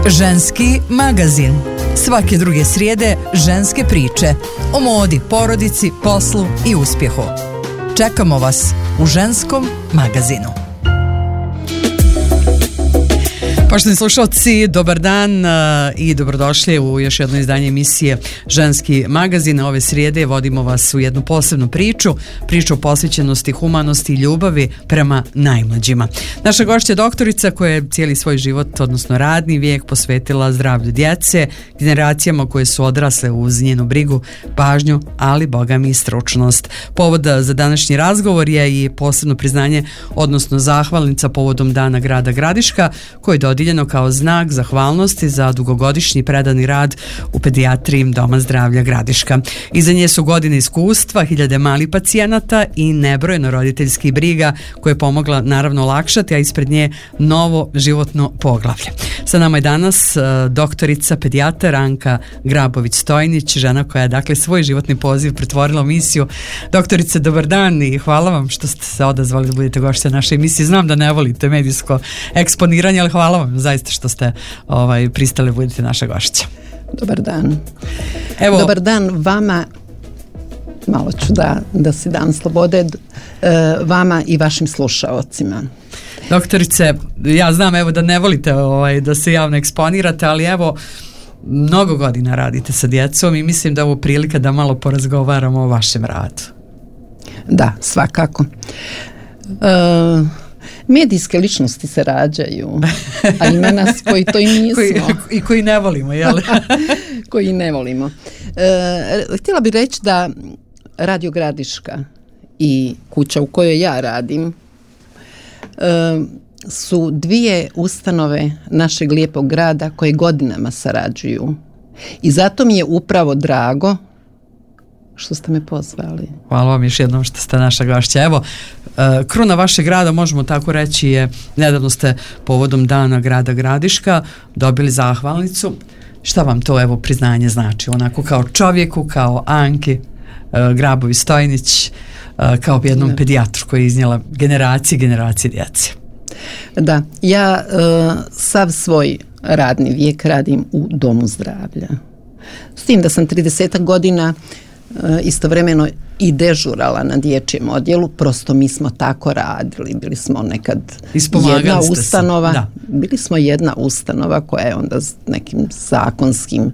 Ženski magazin. Svake druge srijede ženske priče o modi, porodici, poslu i uspjehu. Čekamo vas u Ženskom magazinu. Poštovani slušalci, dobar dan i dobrodošli u još jedno izdanje emisije Ženski magazin. Ove srijede vodimo vas u jednu posebnu priču o posvećenosti, humanosti i ljubavi prema najmlađima. Naša gošća je doktorica koja je cijeli svoj život, odnosno radni vijek, posvetila zdravlju djece, generacijama koje su odrasle uz njenu brigu, pažnju, ali boga mi i stručnost. Povod za današnji razgovor je i posebno priznanje, odnosno zahvalnica povodom Dana grada Gradiška, koji je dodijeljeno kao znak zahvalnosti za dugogodišnji predani rad u pedijatriji Doma zdravlja Gradiška. Iza nje su godine iskustva, hiljade malih pacijenata i nebrojeno roditeljskih briga koje je pomogla naravno olakšati, a ispred nje novo životno poglavlje. Sa nama je danas doktorica pedijatar Anka Grabović-Stojnić, žena koja je dakle svoj životni poziv pretvorila u misiju. Doktorice, dobar dan i hvala vam što ste se odazvali da budete gošća naše emisije. Znam da ne volite medijsko eksponiranje, ali hvala vam zaista što ste pristali da budete naša gošća. Dobar dan. Evo, dobar dan vama, malo ću da si dam slobode, vama i vašim slušaocima. Doktorice, ja znam evo da ne volite da se javno eksponirate, ali evo mnogo godina radite sa djecom i mislim da je ovo prilika da malo porazgovaramo o vašem radu. Da, svakako. Medijske ličnosti se rađaju, a ima nas koji to i nismo. I koji ne volimo, jel? Koji ne volimo. Htjela bih reći da Radio Gradiška i kuća u kojoj ja radim su dvije ustanove našeg lijepog grada koje godinama sarađuju. I zato mi je upravo drago što ste me pozvali. Hvala vam još jednom što ste naša gošća. Evo, kruna vašeg grada, možemo tako reći, je, nedavno ste povodom Dana grada Gradiška dobili zahvalnicu. Šta vam to evo priznanje znači? Onako kao čovjeku, kao Anki Grabović-Stojnić, kao jednom pedijatru koji je iznijela generacije djece. Da, ja sav svoj radni vijek radim u Domu zdravlja. S tim da sam 30 godina istovremeno i dežurala na dječjem odjelu, prosto mi smo tako radili, bili smo nekad jedna ustanova, bili smo jedna ustanova koja je onda s nekim zakonskim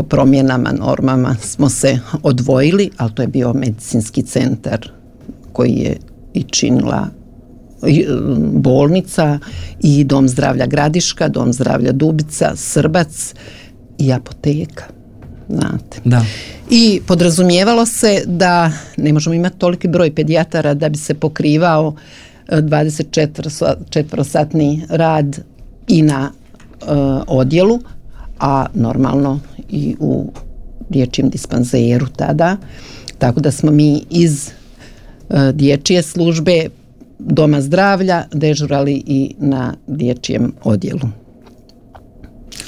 promjenama, normama smo se odvojili, ali to je bio medicinski centar koji je i činila bolnica i Dom zdravlja Gradiška, Dom zdravlja Dubica, Srbac i apoteka. Znate. Da. I podrazumijevalo se da ne možemo imati toliki broj pedijatara da bi se pokrivao 24-satni rad i na odjelu, a normalno i u dječjem dispanzeru tada. Tako da smo mi iz dječje službe Doma zdravlja dežurali i na dječjem odjelu.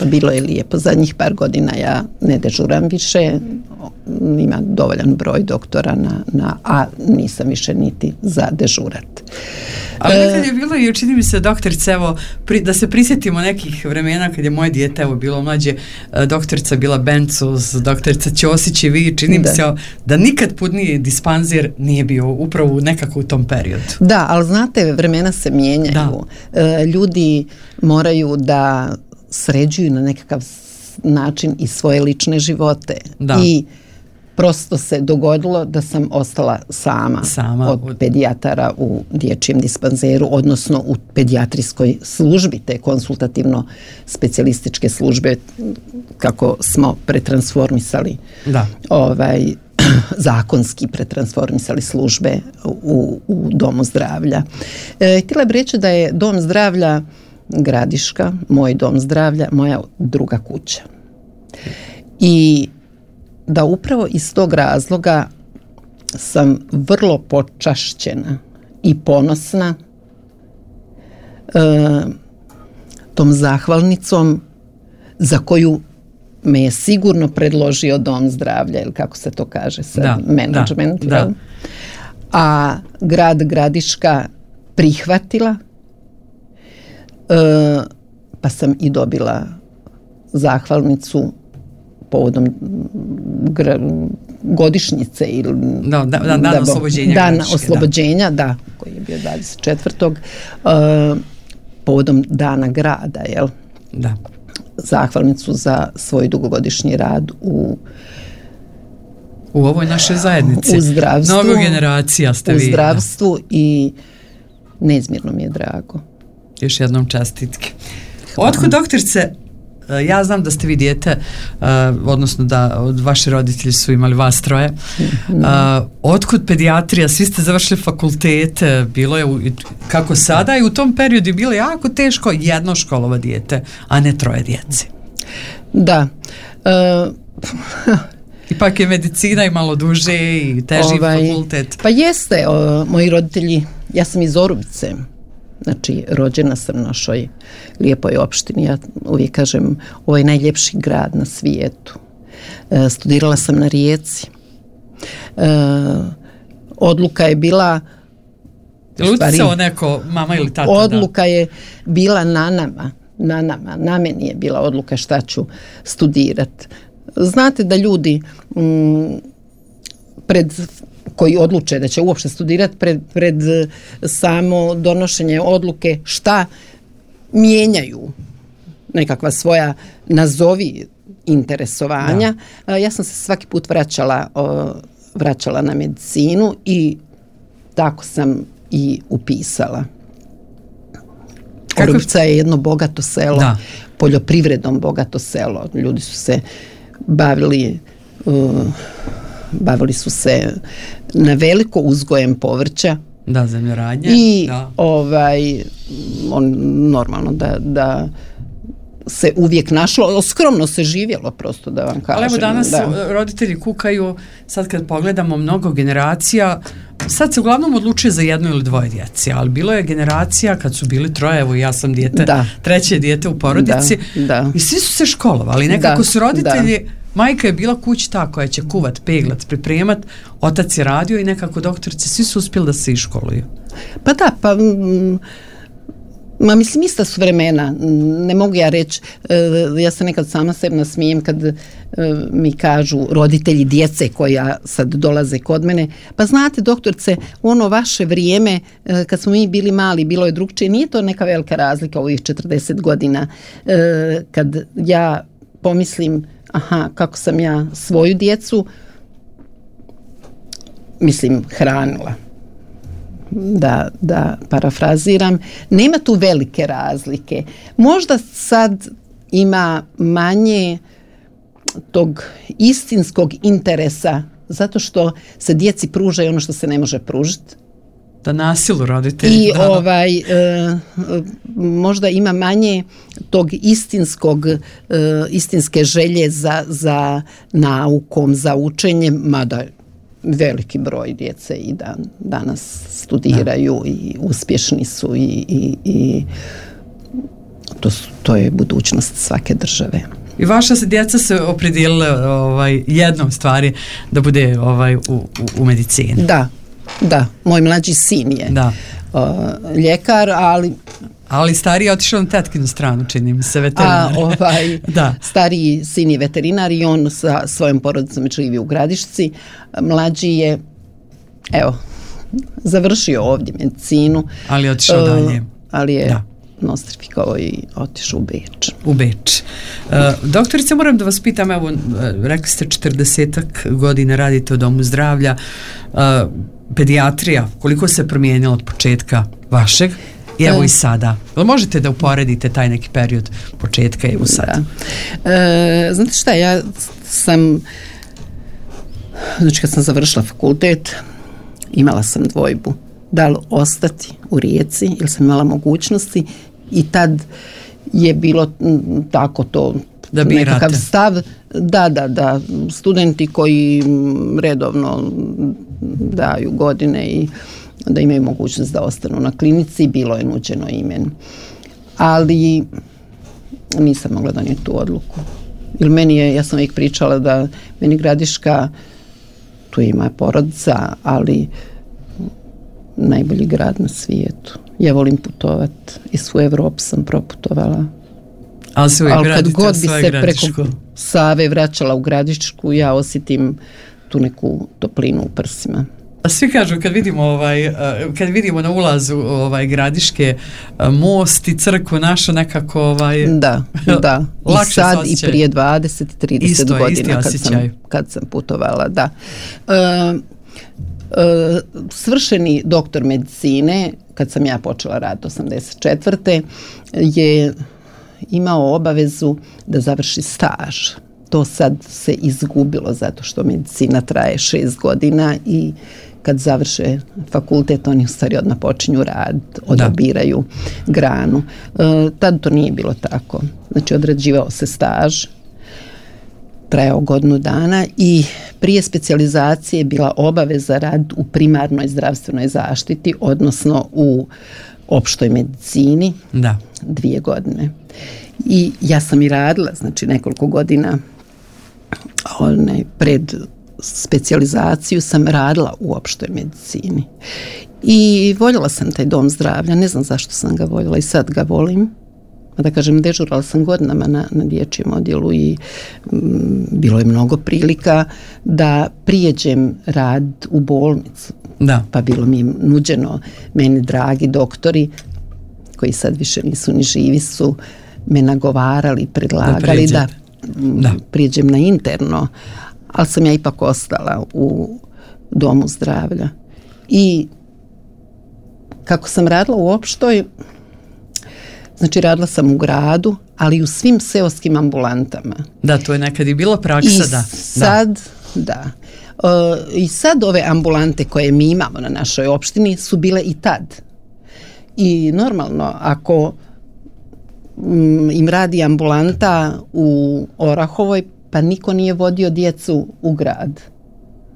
Bilo je lijepo. Zadnjih par godina ja ne dežuram više, ima dovoljan broj doktora a nisam više niti za dežurat. Ali nekad je bilo i čini mi se, doktorica, evo, da se prisjetimo nekih vremena kad je moje dijete bilo mlađe, doktorica bila Bencus, doktorica Ćosić i vi, čini mi se da nikad putniji dispanzir nije bio upravo nekako u tom periodu. Da, ali znate, vremena se mijenjaju. Ljudi moraju da sređuju na nekakav način i svoje lične živote. I prosto se dogodilo da sam ostala sama od pedijatara u dječjem dispanzeru, odnosno u pedijatrijskoj službi, te konsultativno-specijalističke službe, kako smo pretransformisali, zakonski pretransformisali službe u Domu zdravlja. Htjela bih reći da je Dom zdravlja Gradiška, moj Dom zdravlja, moja druga kuća. I da upravo iz tog razloga sam vrlo počašćena i ponosna tom zahvalnicom za koju me je sigurno predložio Dom zdravlja, ili kako se to kaže sad, management. Da. A grad Gradiška prihvatila pa sam i dobila zahvalnicu povodom godišnjice ili dana oslobođenja. Dana oslobođenja, da, koji je bio 24. Povodom dana grada, jel? Da. Zahvalnicu za svoj dugogodišnji rad u ovoj našoj zajednici. U zdravstvu. Mnogo generacija ste vi. U zdravstvu i neizmjerno mi je drago. Još jednom čestitke. Otkud, doktorice, ja znam da ste vi dijete, odnosno da vaši roditelji su imali vas troje. Otkud pedijatrija? Svi ste završili fakultete, bilo je kako sada i u tom periodu je bilo jako teško jedno školova dijete, a ne troje djece. Da. Ipak je medicina i malo duže i teži fakultet. Pa jeste, moji roditelji, ja sam iz Orubice, znači rođena sam u našoj lijepoj opštini, ja uvijek kažem, ovo je najljepši grad na svijetu. Studirala sam na Rijeci. Odluka je bila... Uticao neko, mama ili tata? Odluka je bila na meni je bila odluka šta ću studirati. Znate da ljudi koji odluče da će uopšte studirati pred samo donošenje odluke šta mijenjaju nekakva svoja nazovi interesovanja. Ja sam se svaki put vraćala na medicinu i tako sam i upisala. Orubica je jedno bogato selo, poljoprivredom bogato selo. Ljudi su se bavili su se na veliko uzgojem povrća. Da, zemljoradnje. I normalno da se uvijek našlo, skromno se živjelo, prosto da vam kažem. Ali evo danas roditelji kukaju, sad kad pogledamo mnogo generacija, sad se uglavnom odlučuje za jedno ili dvoje djece, ali bilo je generacija kad su bili troje, evo ja sam treće dijete u porodici i svi su se školovali, nekako su roditelji, majka je bila kući ta koja će kuvat, peglat, pripremat, otac je radio i nekako doktorice, svi su uspjeli da se iškoluju. Pa da, mislim, ista su vremena, ne mogu ja reći, ja se nekad sama sebi nasmijem kad mi kažu roditelji djece koja sad dolaze kod mene, pa znate doktorice, u ono vaše vrijeme kad smo mi bili mali, bilo je drugčije, nije to neka velika razlika u ovih 40 godina, kad ja pomislim, kako sam ja svoju djecu, mislim, hranila. Da parafraziram, nema tu velike razlike. Možda sad ima manje tog istinskog interesa zato što se djeci pruža i ono što se ne može pružiti. Da nasilu roditelji. I možda ima manje tog istinske želje za naukom, za učenjem, mada veliki broj djece i danas studiraju i uspješni su i to je budućnost svake države. I vaša se djeca se opredijelila jednom stvari da bude u medicini. Da, moj mlađi sin je ljekar, ali stariji je otišao na tetkinu stranu, čini mi se, veterinar. Stariji sin je veterinar i on sa svojom porodicom živi u Gradišci. Mlađi je, završio ovdje medicinu. Ali je otišao dalje. Ali je nostrifikovao i otišao u Beč. Doktorice, moram da vas pitam, evo, rekli ste 40 godina radite u domu zdravlja, pedijatrija, koliko se promijenila od početka vašeg i evo i sada? Možete da uporedite taj neki period početka i evo sada? Znate šta, ja sam, znači kad sam završila fakultet, imala sam dvojbu. Da li ostati u Rijeci, jer sam imala mogućnosti i tad je bilo tako to da nekakav stav da studenti koji redovno daju godine i da imaju mogućnost da ostanu na klinici, bilo je nuđeno i meni. Ali nisam mogla donijeti tu odluku. Jer ja sam uvijek pričala da meni Gradiška, tu je moja porodica, ali najbolji grad na svijetu. Ja volim putovati i svu Evropu sam proputovala. Ali kad god bi se preko Save vraćala u Gradišku, ja osjetim tu neku toplinu u prsima. Svi kažu kad vidimo na ulazu Gradiške most i crkvu našu nekako da i sad i prije 20-30 godina kad sam putovala, da. Svršeni doktor medicine, kad sam ja počela rad 84. je imao obavezu da završi staž. To sad se izgubilo zato što medicina traje 6 godina i kad završe fakultet oni u stvari odmah počinju rad, odabiraju granu. Tad to nije bilo tako. Znači odrađivao se staž, trajao godinu dana i prije specijalizacije je bila obaveza rad u primarnoj zdravstvenoj zaštiti, odnosno u opštoj medicini, 2 godine. I ja sam i radila, znači nekoliko godina pred specijalizaciju sam radila u opštoj medicini. I voljela sam taj dom zdravlja, ne znam zašto sam ga voljela i sad ga volim. Da kažem, dežurala sam godinama na dječjem odjelu i bilo je mnogo prilika da prijeđem rad u bolnicu. Da. Pa bilo mi nuđeno, meni dragi doktori, koji sad više nisu ni živi, su me nagovarali, predlagali da prijeđem na interno, ali sam ja ipak ostala u domu zdravlja. I kako sam radila u opštoj, znači radila sam u gradu, ali i u svim seoskim ambulantama. Da, to je nekad i bila praksa, I sad ove ambulante koje mi imamo na našoj opštini su bile i tad. I normalno, ako im radi ambulanta u Orahovoj, pa niko nije vodio djecu u grad.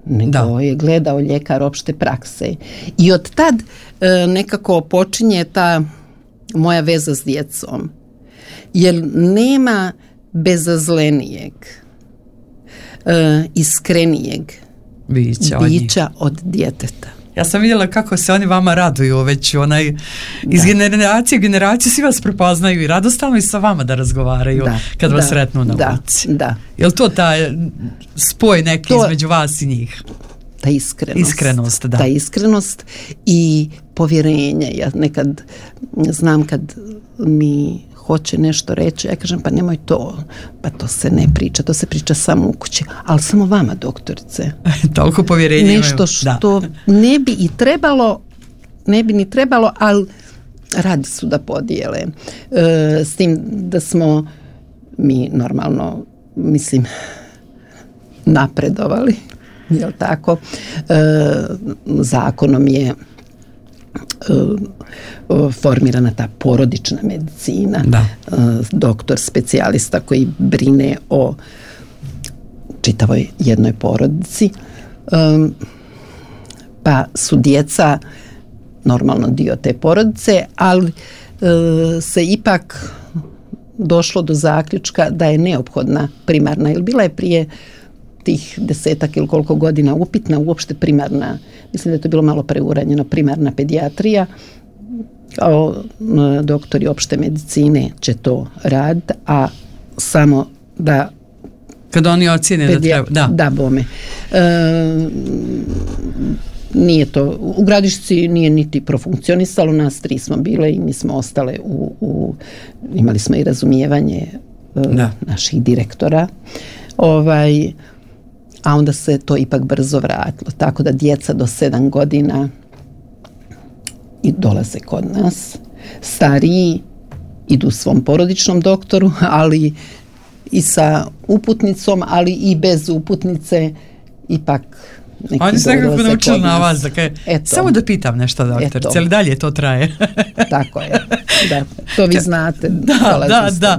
Nego je gledao ljekar opšte prakse. I od tad nekako počinje ta moja veza s djecom. Jer nema bezazlenijeg, iskrenijeg bića od djeteta. Ja sam vidjela kako se oni vama raduju već iz generacije u generaciju, svi vas prepoznaju i radostalno i sa vama da razgovaraju kad vas sretnu na ulici. Da. Je li to taj spoj neki između vas i njih? Ta iskrenost. Ta iskrenost i povjerenje. Ja nekad znam kad mi hoće nešto reći, ja kažem pa nemoj to, pa to se ne priča, to se priča samo u kući, ali samo vama, doktorice. Toliko povjerenja nešto što ne bi i trebalo, ne bi ni trebalo, ali radi su da podijele. S tim da smo mi normalno, mislim, napredovali, jel tako? Zakonom je formirana ta porodična medicina, doktor specijalista koji brine o čitavoj jednoj porodici, pa su djeca normalno dio te porodice, ali se ipak došlo do zaključka da je neophodna primarna, jer bila je prije tih 10 ili koliko godina upitna uopšte primarna, mislim da je to bilo malo preuranjeno, primarna pedijatrija. Kao doktori opšte medicine će to raditi, a samo da kad oni ocjene da treba, da bome. Nije to, u Gradišci nije niti profunkcionisalo, nas 3 smo bile i mi smo ostale imali smo i razumijevanje naših direktora, a onda se to ipak brzo vratilo, tako da djeca do 7 godina i dolaze kod nas, stariji idu svom porodičnom doktoru, ali i sa uputnicom, ali i bez uputnice, ipak neki oni se nekako naučili na vas, dakle, samo da pitam nešto, doktorice, ali dalje to traje? Tako je, da, to vi znate. Da.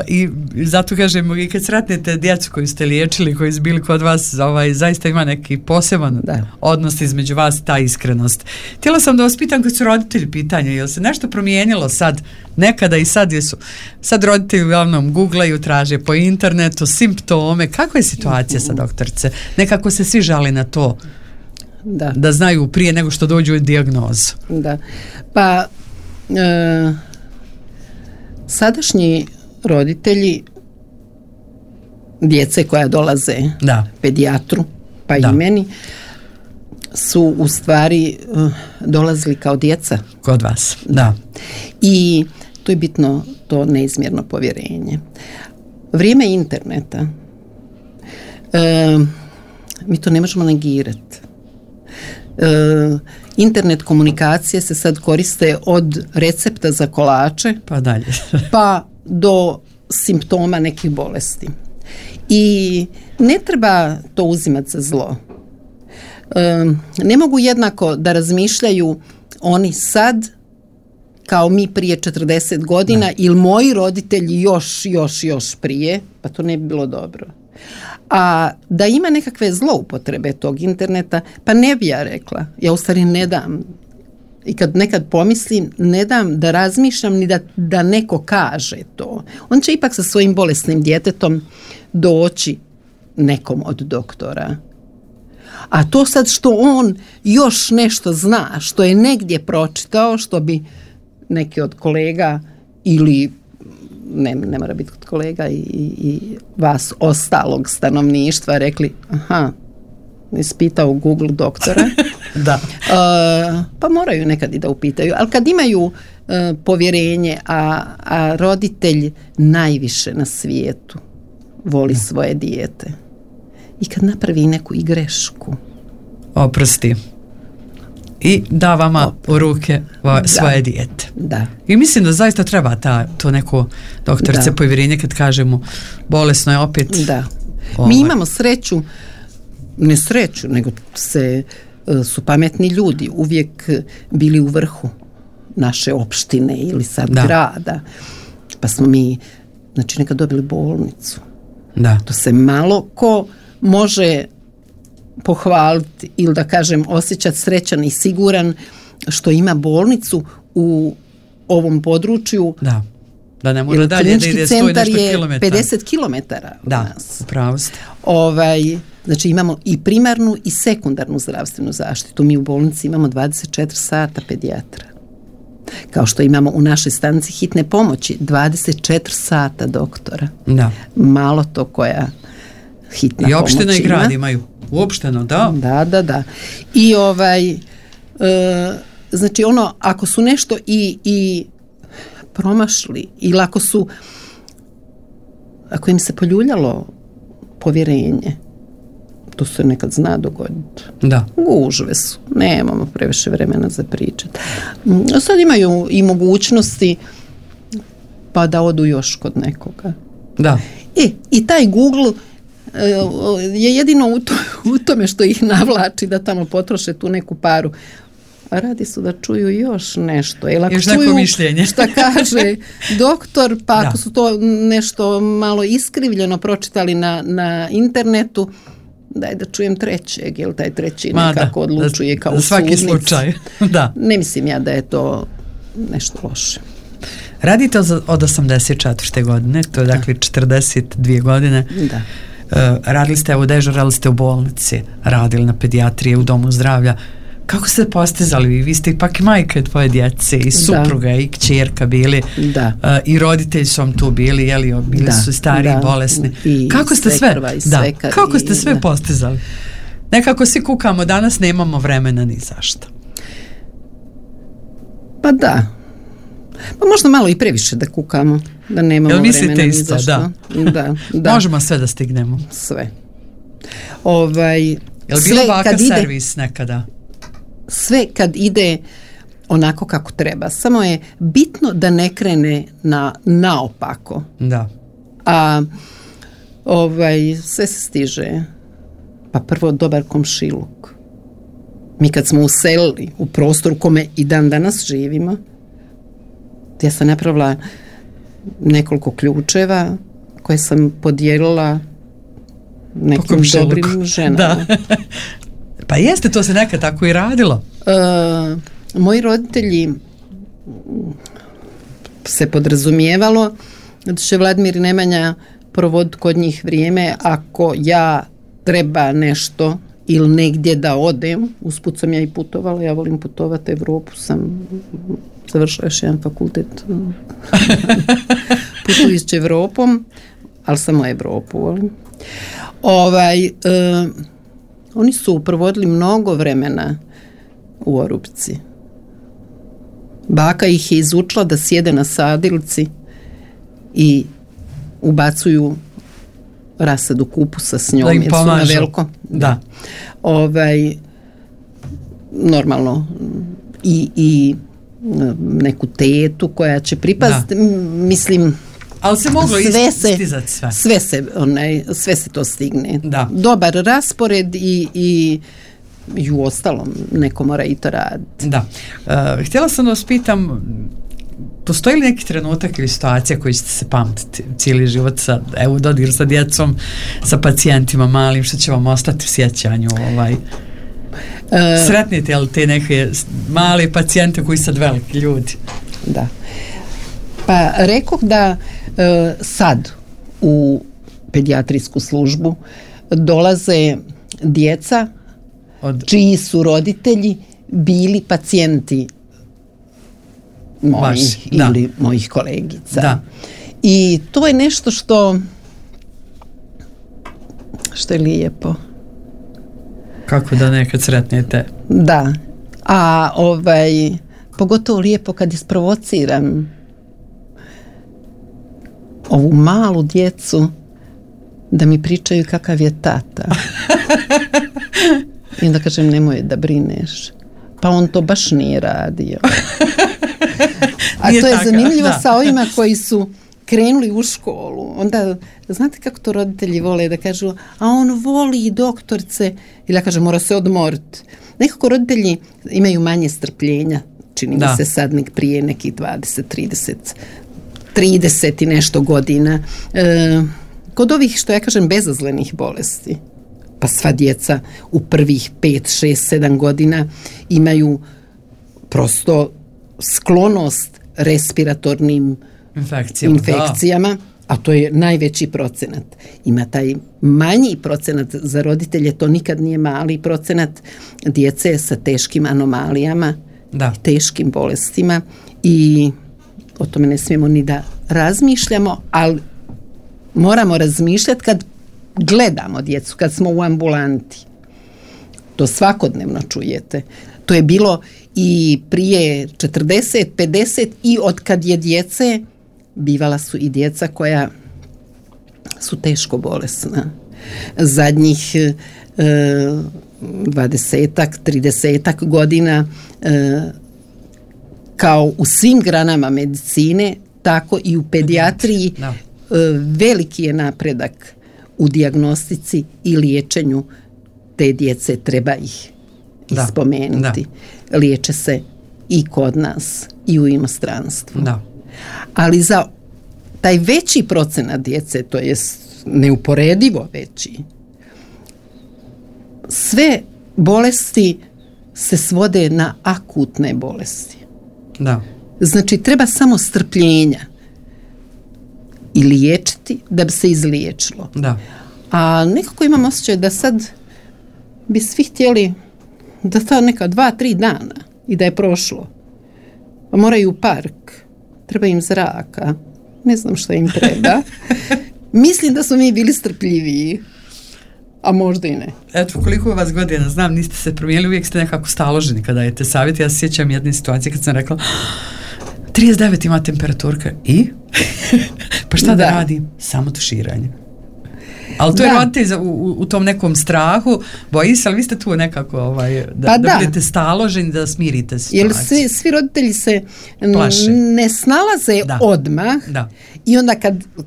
I zato kažem, i kad sretnete djecu koju ste liječili, koji su bili kod vas, zaista ima neki poseban odnos između vas, ta iskrenost. Htjela sam da vas pitam, kad su roditelji pitanje, je li se nešto promijenilo sad, nekada i sad jesu, sad roditelji uglavnom googlaju, traže po internetu simptome, kako je situacija sa doktorice? Nekako se svi žali na to da znaju prije nego što dođu u dijagnozu. Da, pa sadašnji roditelji djece koja dolaze pedijatru, pa i meni, su u stvari dolazili kao djeca. Kod vas, da. I to je bitno, to neizmjerno povjerenje. Vrijeme interneta, mi to ne možemo negirati. Internet komunikacije se sad koriste od recepta za kolače pa dalje pa do simptoma nekih bolesti. I ne treba to uzimati za zlo. Ne mogu jednako da razmišljaju oni sad kao mi prije 40 godina ili moji roditelji još prije, pa to ne bi bilo dobro. A da ima nekakve zloupotrebe tog interneta, pa ne bi ja rekla. Ja u stvari ne dam. I kad nekad pomislim, ne dam da razmišljam ni da neko kaže to. On će ipak sa svojim bolesnim djetetom doći nekom od doktora. A to sad što on još nešto zna, što je negdje pročitao, što bi neki od kolega ili ne mora biti od kolega i vas ostalog stanovništva rekli, aha, ispitao Google doktora. Da. Pa moraju nekad i da upitaju. Ali kad imaju povjerenje, a roditelj najviše na svijetu voli svoje dijete. I kad napravi neku i grešku, oprosti. I da vama u ruke svoje dijete. Da. I mislim da zaista treba to neko doktorice povjerenje kad kažemo bolesno je opet. Da. Mi imamo sreću, ne sreću, nego su pametni ljudi uvijek bili u vrhu naše opštine ili sad grada. Pa smo mi, znači, nekad dobili bolnicu. Da. To se malo ko može pohvaliti ili da kažem osjećati srećan i siguran što ima bolnicu u ovom području. Da ne mora dalje da ide 100 nešto kilometara. 50 kilometara od nas. Upravo ste. Znači imamo i primarnu i sekundarnu zdravstvenu zaštitu. Mi u bolnici imamo 24 sata pedijatra. Kao što imamo u našoj stanici hitne pomoći 24 sata doktora. Da. Malo to koja hitna pomoć ima. I opština i grad imaju. Uopšteno, da. Da. I znači ako su nešto i promašli ili ako im se poljuljalo povjerenje, to se nekad zna dogoditi. Da. Gužve su. Nemamo previše vremena za pričati. Sad imaju i mogućnosti pa da odu još kod nekoga. Da. I taj Google je jedino u tome što ih navlači da tamo potroše tu neku paru. A radi su da čuju još nešto. Jer ako čuju mišljenje. Šta kaže doktor, pa ako su to nešto malo iskrivljeno pročitali na internetu, daj da čujem trećeg, jer taj treći nekako odlučuje kao u svaki sudnici. slučaj. Da. Ne mislim ja da je to nešto loše. Radite od 84. godine, to je dakle 42 godine. Da. Radili ste, dežurali ste u bolnici, radili na pedijatriji, u domu zdravlja. Kako ste postizali? Vi ste ipak majka dvoje djece i supruga i kćerka bili. I roditelji su vam tu bili, bili su stari i bolesni. Kako ste sve postizali? Nekako svi kukamo, danas nemamo vremena ni zašto. Pa da. Pa možda malo i previše da kukamo, da nemamo vremena ni zašto. Da. Možemo sve da stignemo. Sve. Jel bilo ovakav servis nekada? Sve kad ide onako kako treba. Samo je bitno da ne krene naopako. Da. A sve se stiže. Pa prvo dobar komšiluk. Mi kad smo uselili u prostor u kome i dan danas živimo, ja sam napravila nekoliko ključeva koje sam podijelila nekim dobrim ženama. Da. Pa jeste, to se nekad tako i radilo. Moji roditelji se podrazumijevalo da će Vladimir i Nemanja provoditi kod njih vrijeme ako ja treba nešto ili negdje da odem. Usput sam ja i putovala, ja volim putovati, Evropu sam završila još jedan fakultet putujući Evropom, ali samo Evropu volim. Oni su provodili mnogo vremena u Orupci. Baka ih je izučila da sjede na sadilci i ubacuju rasadu kupusa s njom, jer su na veliko. Da. Normalno i neku tetu koja će pripaziti, mislim, ali se moglo istizati sve se to stigne. Da. Dobar raspored i u ostalom neko mora i to raditi. Da. Htjela sam da vas pitam, postoji li neki trenutak ili situacija koji ćete se pamtiti cijeli život u dodiru sa djecom, sa pacijentima malim, što će vam ostati u sjećanju? Sretnite li te neke male pacijente koji sad veliki ljudi? Da. Pa rekoh da sad u pedijatrijsku službu dolaze djeca čiji su roditelji bili pacijenti mojih ili mojih kolegica. Da. I to je nešto što je lijepo. Kako da nekad sretnete? Da. A pogotovo lijepo kad isprovociram ovu malu djecu da mi pričaju kakav je tata. I onda kažem, nemoj da brineš. Pa on to baš nije radio. A to je zanimljivo sa ovima koji su krenuli u školu. Onda, znate kako to roditelji vole da kažu, a on voli doktorce. Ili ja kažem, mora se odmoriti. Nekako roditelji imaju manje strpljenja. Čini mi se sad prije nekih 30 i nešto godina. Kod ovih, što ja kažem, bezazlenih bolesti, pa sva djeca u prvih 5, 6, 7 godina imaju prosto sklonost respiratornim infekcijama, a to je najveći procenat. Ima taj manji procenat za roditelje, to nikad nije mali procenat djece sa teškim anomalijama, teškim bolestima, i o tome ne smijemo ni da razmišljamo, ali moramo razmišljati kad gledamo djecu, kad smo u ambulanti. To svakodnevno čujete. To je bilo i prije 40, 50 i od kad je djece, bivala su i djeca koja su teško bolesna. Zadnjih 20-ak, 30-ak godina, kao u svim granama medicine, tako i u pedijatriji, veliki je napredak u dijagnostici i liječenju te djece, treba ih ispomenuti. Liječe se i kod nas i u inostranstvu. Ali za taj veći procenat djece, to je neuporedivo veći, sve bolesti se svode na akutne bolesti. Znači, treba samo strpljenja i liječiti da bi se izliječilo. A nekako imam osjećaj da sad bi svi htjeli da sta neka 2-3 dana i da je prošlo. Pa moraju u park, treba im zraka, ne znam što im treba. Mislim da smo mi bili strpljiviji, a možda i ne. Eto, koliko vas godina znam, niste se promijenili, uvijek ste nekako staloženi kada dajete savjet. Ja se sjećam jedne situacije kad sam rekla 39 ima temperaturka i pa šta da radim? Samo tuširanje. Ali to je roditelj u tom nekom strahu, boji se, ali vi ste tu nekako da budete staloženi, da smirite situaciju. Jer svi roditelji se ne snalaze odmah i onda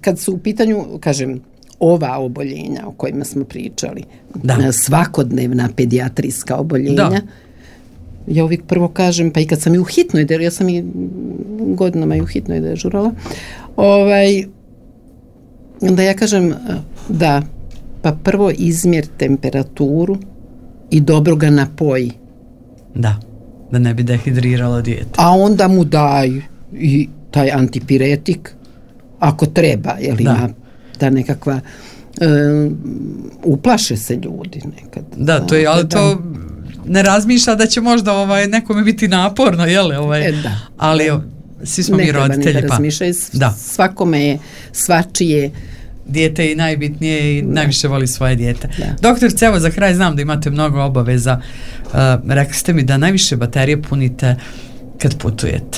kad su u pitanju, kažem, ova oboljenja o kojima smo pričali, svakodnevna pedijatrijska oboljenja, ja uvijek prvo kažem, pa i kad sam i u hitnoj, ja sam i godinama i u hitnoj dežurala, onda ja kažem, pa prvo izmjer temperaturu i dobro ga napoji. Da ne bi dehidriralo dijete. A onda mu daj i taj antipiretik, ako treba, jer ima ta nekakva, uplaše se ljudi nekad. To je, ali to ne razmišlja da će možda nekome biti naporno, jel? Ali svi smo mi roditelji. Ne treba ni da razmišljaju, svakome je svačije. Dijete je najbitnije i najviše voli svoje dijete. Da. Doktorice, evo za kraj znam da imate mnogo obaveza. Rekli ste mi da najviše baterije punite kad putujete.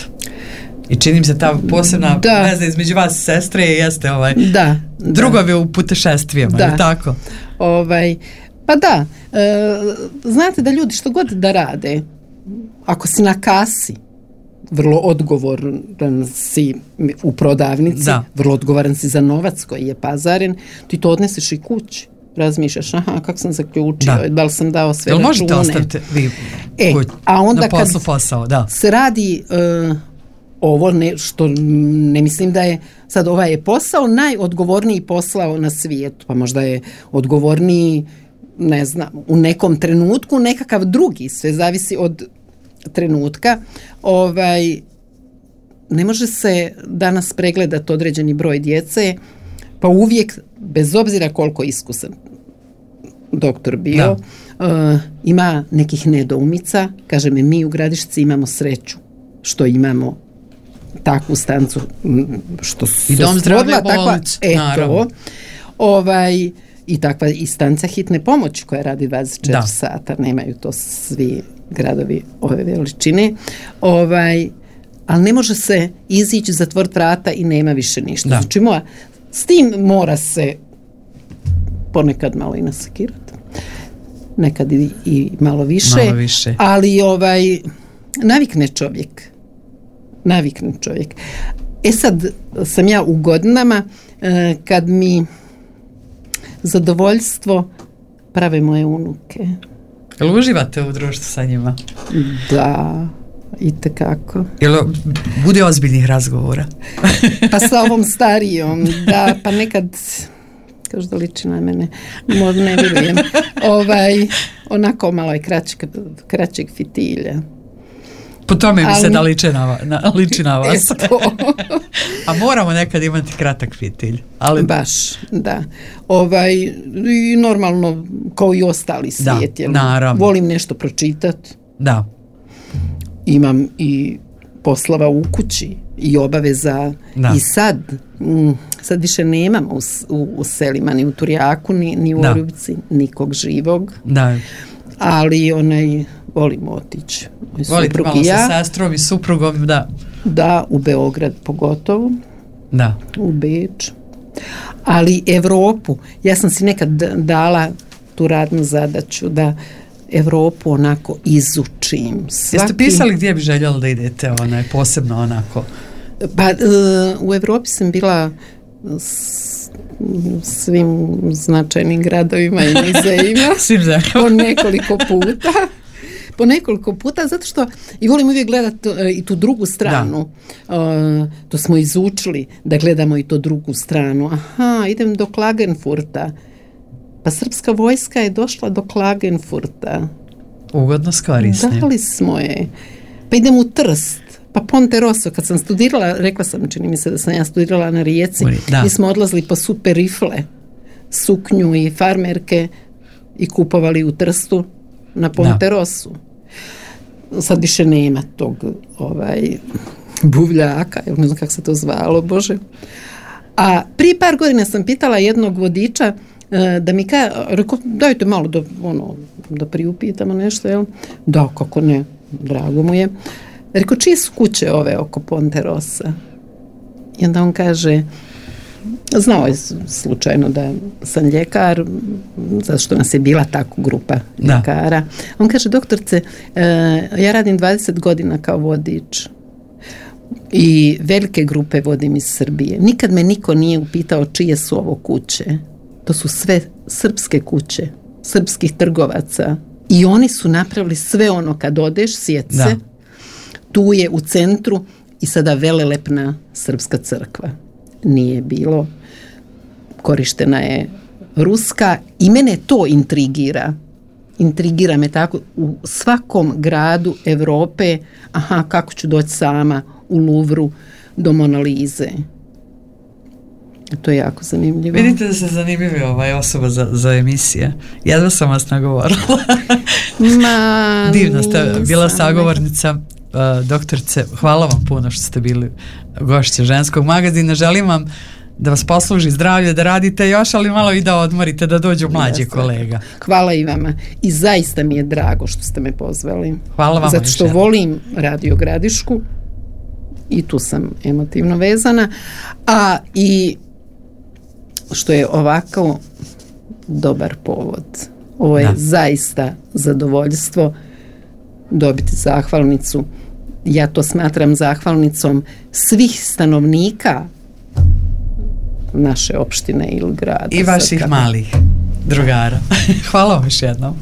I čini mi se ta posebna veza između vas i sestre jeste drugovi u putešestvijama, je tako? Pa da, znate da ljudi što god da rade, ako si na kasi, vrlo odgovoran si u prodavnici, vrlo odgovoran si za novac koji je pazaren, ti to odneseš i kući. Razmišljaš, kako sam zaključio, da li sam dao sve račune. Možete ostaviti vi a onda na poslu posao, se radi ovo što ne mislim da je sad ovaj je posao najodgovorniji posao na svijetu, pa možda je odgovorniji, ne znam, u nekom trenutku nekakav drugi, sve zavisi od trenutka. Ne može se danas pregledati određeni broj djece, pa uvijek, bez obzira koliko iskusan doktor bio, ima nekih nedoumica. Kaže mi u Gradišci imamo sreću što imamo takvu stancu, što se stvorila takva, i takva i stanca hitne pomoći koja radi 24 sata, nemaju to svi gradovi ove veličine, ali ne može se izići, zatvoriti vrata i nema više ništa. Znači s tim mora se ponekad malo i nasekirati, nekad i malo više. Ali navikne čovjek. Sad sam ja u godinama kad mi zadovoljstvo prave moje unuke. Jel uživate u društvu sa njima? Da, itekako. Jel bude ozbiljnih razgovora? Pa sa ovom starijom, da, pa nekad kažu da liči na mene, ne vjerujem. Onako malo je kraćeg fitilja. Po tome mi se da liči na vas. A moramo nekad imati kratak fitilj. Ali... Baš, da. I normalno, kao i ostali svijet. Volim nešto pročitati. Da. Imam i poslova u kući i obaveza. I sad više nemamo u selima, ni u Turjaku, ni u Orubci, nikog živog. Da. Ali volimo otići. Volite malo sa sestrom i suprugom, da. Da, u Beograd pogotovo. Da. U Beč. Ali Evropu, ja sam si nekad dala tu radnu zadaću da Evropu onako izučim. Jeste pisali gdje bi željeli da idete posebno onako? Pa u Evropi sam bila svim značajnim gradovima i muzejima po nekoliko puta, zato što i volim uvijek gledati i tu drugu stranu. To smo izučili da gledamo i to drugu stranu. Idem do Klagenfurta. Pa srpska vojska je došla do Klagenfurta. Ugodno skorisne. Dali smo je. Pa idem u Trst. Pa Ponte Rosso, kad sam studirala, rekla sam, čini mi se da sam ja studirala na Rijeci, mi smo odlazili po super rifle, suknju i farmerke i kupovali u Trstu na Ponte Rossu. Sad više nema tog buvljaka, ne znam kako se to zvalo, Bože. A prije par godina sam pitala jednog vodiča da mi rekao, dajte malo da priupitamo nešto, jel? Da, kako ne, drago mu je. Rekao, čije su kuće ove oko Ponte Rossa? I onda on kaže, znao je slučajno da sam ljekar, zato što nas je bila tako grupa ljekara. On kaže, doktorce, ja radim 20 godina kao vodič i velike grupe vodim iz Srbije. Nikad me niko nije upitao čije su ovo kuće. To su sve srpske kuće, srpskih trgovaca. I oni su napravili sve ono, kad odeš, sjeti se, tu je u centru i sada velelepna srpska crkva. Nije bilo, korištena je ruska i mene to intrigira. Intrigira me tako u svakom gradu Europe, kako ću doći sama u Louvru do Mona Lise. To je jako zanimljivo. Vidite da se zanimljivi osoba za emisije. Jedva sam vas nagovorila. Divno ste bila sagovornica doktorice, hvala vam puno što ste bili gošće Ženskog magazina. Želim vam da vas posluži zdravlje, da radite još, ali malo i da odmorite, da dođu mlađi kolega. Hvala i vama. I zaista mi je drago što ste me pozvali. Hvala vam. Zato što volim Radio Gradišku i tu sam emotivno vezana, a i što je ovako dobar povod. Ovo je zaista zadovoljstvo dobiti zahvalnicu. Ja to smatram zahvalnicom svih stanovnika naše opštine ili grada. I vaših malih drugara. Hvala vam još jednom.